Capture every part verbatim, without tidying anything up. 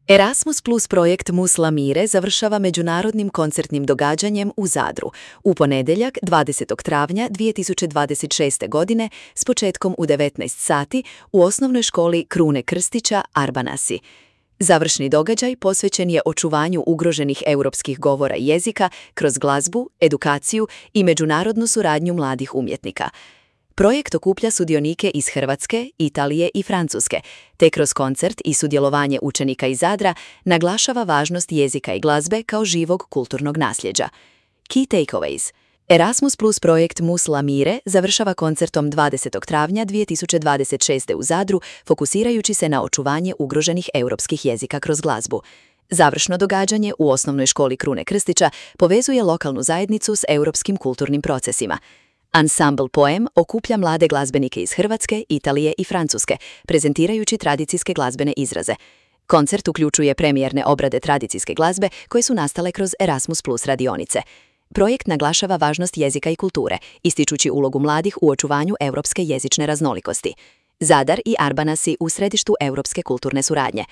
Erasmus Plus projekt Muslamire završava međunarodnim koncertnim događanjem u Zadru u ponedjeljak dvadesetog travnja dvije tisuće dvadeset šeste. godine s početkom u devetnaest sati u osnovnoj školi Krune Krstića Arbanasi. Završni događaj posvećen je očuvanju ugroženih europskih govora i jezika kroz glazbu, edukaciju i međunarodnu suradnju mladih umjetnika. Projekt okuplja sudionike iz Hrvatske, Italije i Francuske, te kroz koncert i sudjelovanje učenika iz Zadra naglašava važnost jezika i glazbe kao živog kulturnog nasljeđa. Key takeaways. Erasmus Plus projekt Muslamire završava koncertom dvadesetog travnja dvije tisuće dvadeset šeste. u Zadru, fokusirajući se na očuvanje ugroženih europskih jezika kroz glazbu. Završno događanje u osnovnoj školi Krune Krstića povezuje lokalnu zajednicu s europskim kulturnim procesima. Ansambl Poem okuplja mlade glazbenike iz Hrvatske, Italije i Francuske, prezentirajući tradicijske glazbene izraze. Koncert uključuje premijerne obrade tradicijske glazbe koje su nastale kroz Erasmus Plus radionice. Projekt naglašava važnost jezika i kulture, ističući ulogu mladih u očuvanju europske jezične raznolikosti. Zadar i Arbanasi u središtu europske kulturne suradnje.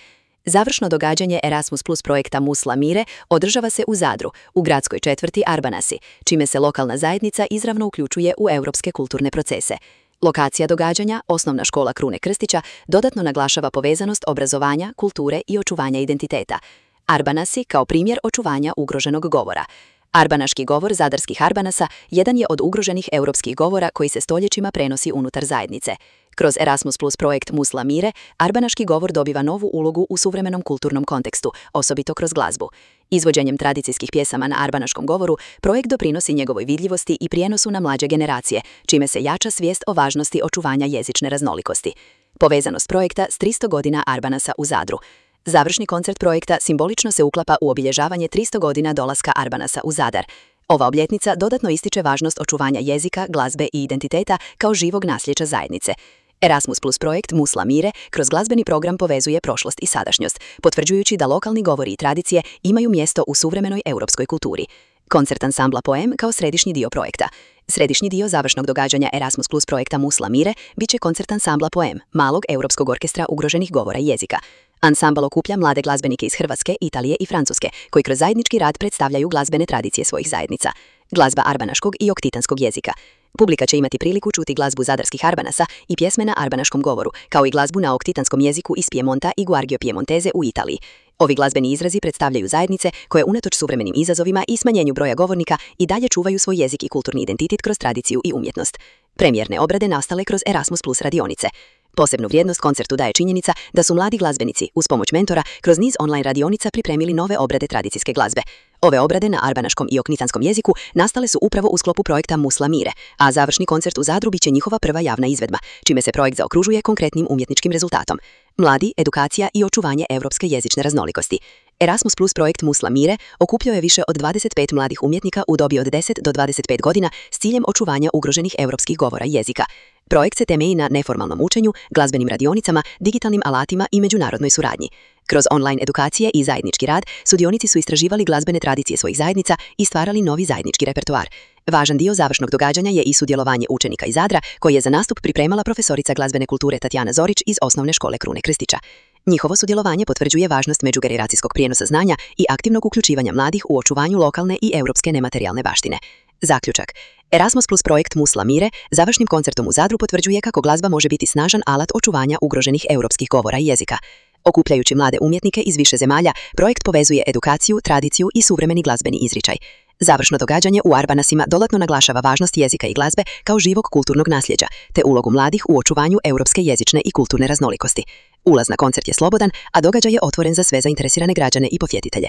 Završno događanje Erasmus Plus projekta Muslamire održava se u Zadru, u gradskoj četvrti Arbanasi, čime se lokalna zajednica izravno uključuje u europske kulturne procese. Lokacija događanja, osnovna škola Krune Krstića, dodatno naglašava povezanost obrazovanja, kulture i očuvanja identiteta. Arbanasi kao primjer očuvanja ugroženog govora. Arbanaški govor zadarskih Arbanasa jedan je od ugroženih europskih govora koji se stoljećima prenosi unutar zajednice. Kroz Erasmus Plus projekt Muslamire, arbanaški govor dobiva novu ulogu u suvremenom kulturnom kontekstu, osobito kroz glazbu. Izvođenjem tradicijskih pjesama na arbanaškom govoru, projekt doprinosi njegovoj vidljivosti i prijenosu na mlađe generacije, čime se jača svijest o važnosti očuvanja jezične raznolikosti. Povezanost projekta s tristo godina Arbanasa u Zadru. Završni koncert projekta simbolično se uklapa u obilježavanje tristo godina dolaska Arbanasa u Zadar. Ova obljetnica dodatno ističe važnost očuvanja jezika, glazbe i identiteta kao živog nasljeđa zajednice. Erasmus Plus projekt Muslamire kroz glazbeni program povezuje prošlost i sadašnjost, potvrđujući da lokalni govori i tradicije imaju mjesto u suvremenoj europskoj kulturi. Koncert ansambla Poem kao središnji dio projekta. Središnji dio završnog događanja Erasmus Plus projekta Muslamire bit će koncert ansambla Poem, malog europskog orkestra ugroženih govora i jezika. Ansambl okuplja mlade glazbenike iz Hrvatske, Italije i Francuske, koji kroz zajednički rad predstavljaju glazbene tradicije svojih zajednica. Glazba arbanaškog i oktitanskog jezika. Publika će imati priliku čuti glazbu zadarskih Arbanasa i pjesme na arbanaškom govoru, kao i glazbu na oktitanskom jeziku iz Piemonta i Guargio Piemontese u Italiji. Ovi glazbeni izrazi predstavljaju zajednice koje unatoč suvremenim izazovima i smanjenju broja govornika i dalje čuvaju svoj jezik i kulturni identitet kroz tradiciju i umjetnost. Premijerne obrade nastale kroz Erasmus Plus radionice. Posebnu vrijednost koncertu daje činjenica da su mladi glazbenici, uz pomoć mentora, kroz niz online radionica pripremili nove obrade tradicijske glazbe. Ove obrade na arbanaškom i oknitanskom jeziku nastale su upravo u sklopu projekta Muslamire, a završni koncert u Zadru biće njihova prva javna izvedba, čime se projekt zaokružuje konkretnim umjetničkim rezultatom. Mladi, edukacija i očuvanje europske jezične raznolikosti. Erasmus Plus projekt Muslamire okupljao je više od dvadeset pet mladih umjetnika u dobi od deset do dvadeset pet godina s ciljem očuvanja ugroženih europskih govora i jezika. Projekt se temelji na neformalnom učenju, glazbenim radionicama, digitalnim alatima i međunarodnoj suradnji. Kroz online edukacije i zajednički rad, sudionici su istraživali glazbene tradicije svojih zajednica i stvarali novi zajednički repertoar. Važan dio završnog događanja je i sudjelovanje učenika iz Zadra, koji je za nastup pripremala profesorica glazbene kulture Tatjana Zorić iz osnovne škole Krune Krstića. Njihovo sudjelovanje potvrđuje važnost međugeneracijskog prijenosa znanja i aktivnog uključivanja mladih u očuvanju lokalne i europske nematerijalne baštine. Zaključak. Erasmus Plus projekt Muslamire završnim koncertom u Zadru potvrđuje kako glazba može biti snažan alat očuvanja ugroženih europskih govora i jezika. Okupljajući mlade umjetnike iz više zemalja, projekt povezuje edukaciju, tradiciju i suvremeni glazbeni izričaj. Završno događanje u Arbanasima dodatno naglašava važnost jezika i glazbe kao živog kulturnog nasljeđa, te ulogu mladih u očuvanju europske jezične i kulturne raznolikosti. Ulaz na koncert je slobodan, a događaj je otvoren za sve zainteresirane građane i posjetitelje.